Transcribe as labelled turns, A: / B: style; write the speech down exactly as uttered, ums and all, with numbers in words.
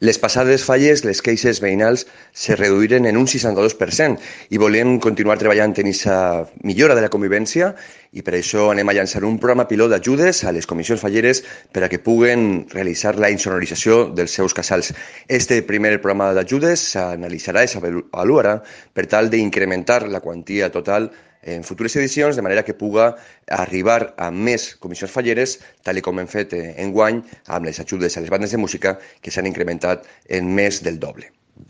A: Les passades falles, les queixes veïnals se reduïren en un seixanta-dos per cent i volem continuar treballant en aquesta millora de la convivència i per això anem a llançar un programa pilot d'ajudes a les comissions falleres per a que puguen realitzar la insonorització dels seus casals. Este primer programa d'ajudes s'analitzarà i s'avaluarà per tal d'incrementar la quantia total en futures edicions, de manera que puga arribar a més comissions falleres, tal com hem fet enguany amb les ajudes a les bandes de música, que s'han incrementat en més del doble.